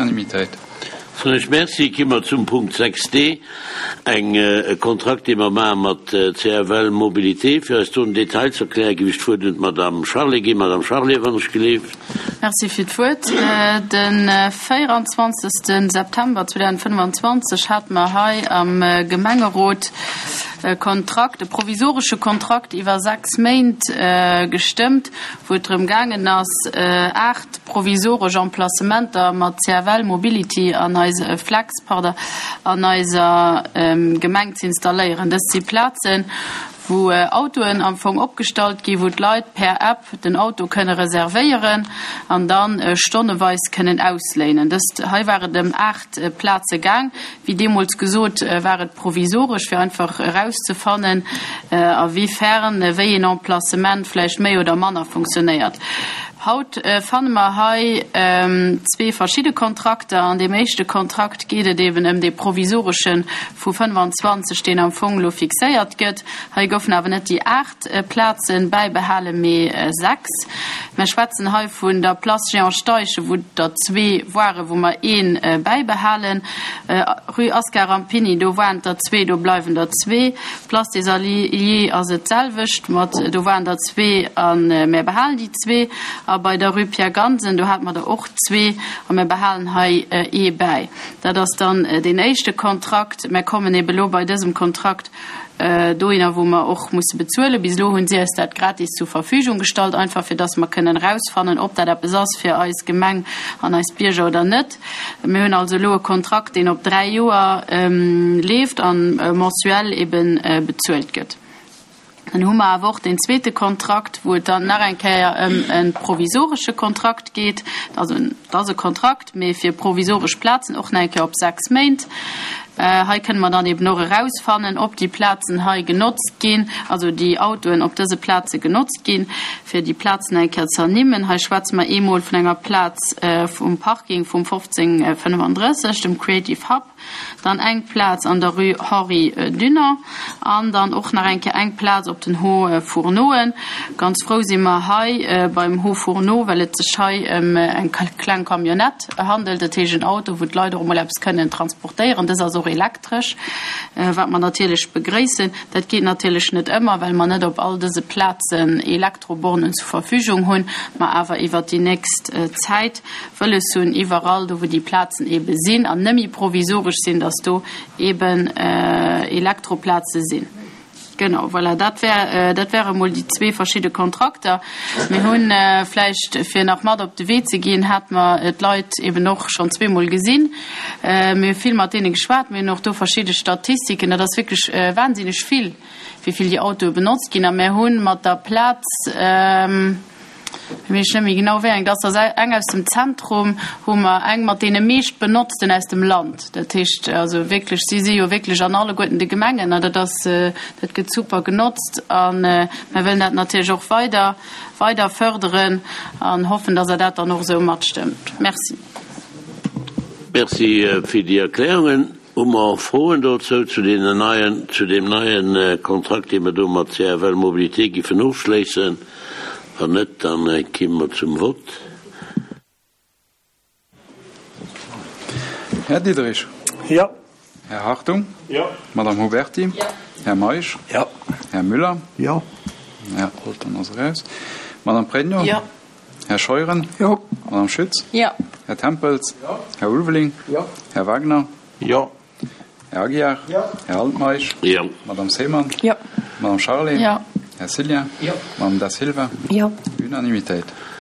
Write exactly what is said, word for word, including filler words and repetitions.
Unanimitéit. Soen ech Merci. Gi mer zum Punkt sechs D, eng, e Kontrakt, dee mer maache mat C F L Mobilité. Fir eis do den Detail ze erklären, géif ech d'Wuert un d'Madame Charlé ginn. Madame Charlé, wann ech gelift. Merci fir d'Wuert. De véierundzwanzegste September zweedausendfënnfanzwanzeg hate mer hei am Gemengerot e Kontrakt, e provisoresche Kontrakt iwwer sechs Méint gestëmmt, wou et drëm gaangen ass, aacht provisoresch Emplacementer mat C F L Mobility an eis Flex, pardon, an eiser Gemeng ze installéieren. Dëst si Plazen, wou Autoen am Fong opgestallt ginn, wou d'Leit per App den Auto kënne reservéieren an dann stonneweis kënnen ausléinen. Dëst hei war et ëm aacht Plaze gaang. Wéi deemools gesot, war et provisoresch, fir einfach erauszefannen, a wéi fern wéi een Emplacement vläicht méi oder manner funktionéiert. Haut fanne mer hei zwee verschidde Kontrakter. An deem éischte Kontrakt geet et eben ëm dee provisoresche vu fënnefanzwanzeg, deen am Fong elo fixéiert gëtt. Hei goufen awer net déi aacht Plazen bäibehalen, mee sechs. Mer schwätzen hei vun der Place Jean Steichen, wou der zwee waren, wou mer ee bäibehalen. Rue Ascar Rampini, do waren der zwee, do bleiwen der zwee. Place des Alliés ass et d'selwecht, mat do waren der zwee a mer behalen déi zwee. A bei der Rue Pierre Gansen, do hate mer der och zwee a mer behalen hei ee bäi. Dat ass dann deen éischte Kontrakt. Mer kommen ebe lo bei dësem Kontrakt dohinner, wou mer och musse bezuelen. Bis elo hunn si eis dat gratis zur Verfügung gestallt, einfach fir dass mer kënnen erausfannen, ob dat eppes ass fir eis Gemeng an eis Bierger oder net. Mir hunn also elo e Kontrakt, deen op dräi Joer leeft a mensuell ebe bezuelt gëtt. Dann hu mer awer och deen zweete Kontrakt, wou et dann nach eng Kéier ëm e provisoresche Kontrakt geet. Also et ass e Kontrakt, mee fir provisoresch Plazen, och nach eng Kéier op sechs Méint. Hei kënne mer dann eben och erausfannen, ob déi Plazen hei genotzt ginn, also déi Autoen op dëse Plaze genotzt ginn, fir déi Plazen eng Kéier ze ernimmen. Hei schwätze mer eemol vun enger Plaz vum Parking vum fofzéng fënnefandrësseg, dem Creative Hub, dann eng Plaz an der Rue Henri Dunant an dann och nach eng Kéier eng Plaz op den Hauts Fourneauen. Ganz frou si mer hei beim Hauts Fourneaux, well et sech hei ëm eng kleng Camionnette handelt, dat heescht en Auto, wou d'Leit och emol eppes kënnen transportéieren. Dës ass och elektresch, wat mer natierlech begréissen. Dat geet natierlech net ëmmer, well mer net op all dëse Plazen Elektrobornen zur Verfügung hunn, ma awer iwwert déi nächst Zäit wëlles hunn, iwwerall do, wou déi Plazen ebe sinn an nëmme provisoresch sinn, dass do eben Elektroplaze sinn. Genau, voilà, dat wär, dat wäre mol déi zwee verschidde Kontrakter. Mir hunn vläicht, fir nach mat op de Wee ze ginn, hate mer d'Leit eben och schonn zweemol gesinn. Mir hu vill mat deene geschwat, mir hunn och do verschidde Statistiken. Dat ass wierklech wahnsinneg vill, wéi vill déi Autoe benotzt ginn. A mir hunn mat der Plaz, weess net méi genau wéi eng dat ass, eng aus dem Zentrum, hu mer eng mat deene meescht benotzten aus dem Land. Dat heescht also wierklech, si si jo wierklech an alleguerten de Gemengen an dat ass, dat gëtt super genotzt a mir wëllen dat natierlech och weider, weider fërderen an hoffen, dass Der dat dann och esou matstëmmt. Merci. Merci fir déi Erklärungen. Hu mer Froen dozou zu deenen neien, zu deem neien Kontrakt, dee mer do mat C F L Mobilité giffen ofschléissen? Wann net, dann komme mer zum Vott. Här Diderich. Jo. Här Hartung. Jo. Madame Huberti. Jo. Här Meisch. Jo. Här Müller. Jo. Här Holten ass eraus. Madame Pregno. Jo. Här Scheuren. Jo. Madame Schütz. Jo. Här Tempels. Jo. Här Ulveling. Jo. Här Wagner. Jo. Här Aguiar. Jo. Här Altmeisch. Jo. Madame Seemann. Jo. Madame Charlé. Jo. Här Cillien. Jo. Madame Da Silva. Jo. Unanimitéit.